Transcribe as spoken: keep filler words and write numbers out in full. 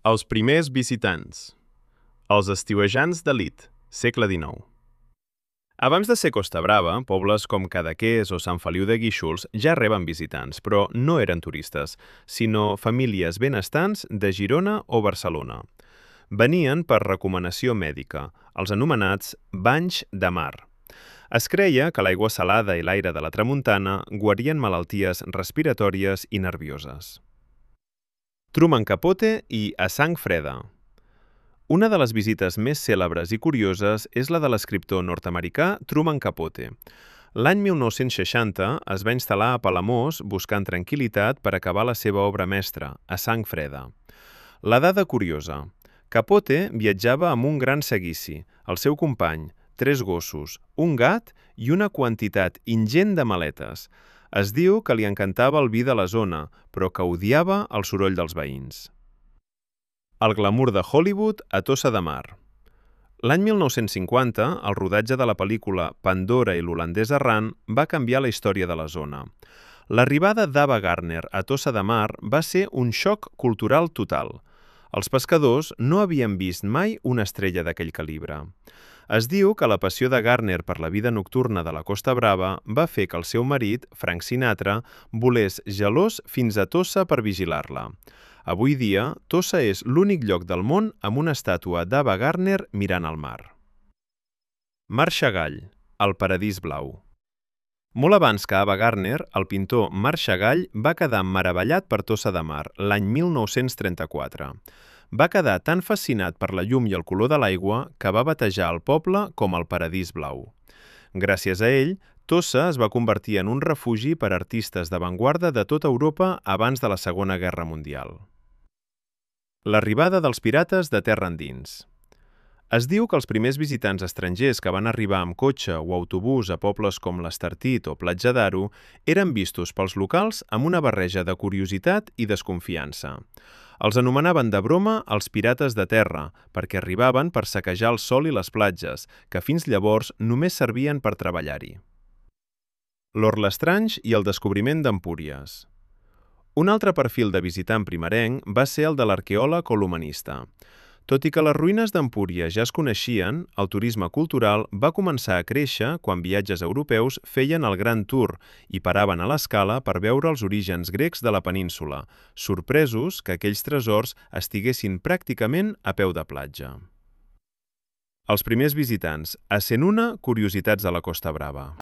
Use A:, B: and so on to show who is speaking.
A: Els primers visitants. Els estiuejants d'elit, segle dinou. Abans de ser Costa Brava, pobles com Cadaqués o Sant Feliu de Guíxols ja reben visitants, però no eren turistes, sinó famílies benestants de Girona o Barcelona. Venien per recomanació mèdica, els anomenats banys de mar. Es creia que l'aigua salada i l'aire de la tramuntana guarien malalties respiratòries i nervioses. Truman Capote i A Sang Freda. Una de les visites més cèlebres i curioses és la de l'escriptor nord-americà Truman Capote. L'any mil nou-cents seixanta es va instal·lar a Palamós buscant tranquil·litat per acabar la seva obra mestra, A Sang Freda. La dada curiosa. Capote viatjava amb un gran seguici, el seu company, tres gossos, un gat i una quantitat ingent de maletes. Es diu que li encantava el vi de la zona, però que odiava el soroll dels veïns. El glamour de Hollywood a Tossa de Mar. L'any mil nou-cents cinquanta, el rodatge de la pel·lícula Pandora i l'holandès errant va canviar la història de la zona. L'arribada d'Ava Gardner a Tossa de Mar va ser un xoc cultural total. Els pescadors no havien vist mai una estrella d'aquell calibre. Es diu que la passió de Gardner per la vida nocturna de la Costa Brava va fer que el seu marit, Frank Sinatra, volés gelós fins a Tossa per vigilar-la. Avui dia, Tossa és l'únic lloc del món amb una estàtua d'Ava Gardner mirant al mar. Marc Chagall, el paradís blau. Molt abans que Ava Gardner, el pintor Marc Chagall va quedar meravellat per Tossa de Mar l'any mil nou-cents trenta-quatre. Va quedar tan fascinat per la llum i el color de l'aigua que va batejar el poble com el paradís blau. Gràcies a ell, Tossa es va convertir en un refugi per a artistes d'avantguarda de tota Europa abans de la Segona Guerra Mundial. L'arribada dels pirates de terra endins. Es diu que els primers visitants estrangers que van arribar amb cotxe o autobús a pobles com l'Estartit o Platja d'Aro eren vistos pels locals amb una barreja de curiositat i desconfiança. Els anomenaven de broma els pirates de terra, perquè arribaven per saquejar el sòl i les platges, que fins llavors només servien per treballar-hi. L'Or Lestrange i el descobriment d'Empúries. Un altre perfil de visitant primerenc va ser el de l'arqueòleg o l'humanista. Tot i que les ruïnes d'Empúries ja es coneixien, el turisme cultural va començar a créixer quan viatges europeus feien el Gran Tour i paraven a l'escala per veure els orígens grecs de la península, sorpresos que aquells tresors estiguessin pràcticament a peu de platja. Els primers visitants, essent una curiositats de la Costa Brava.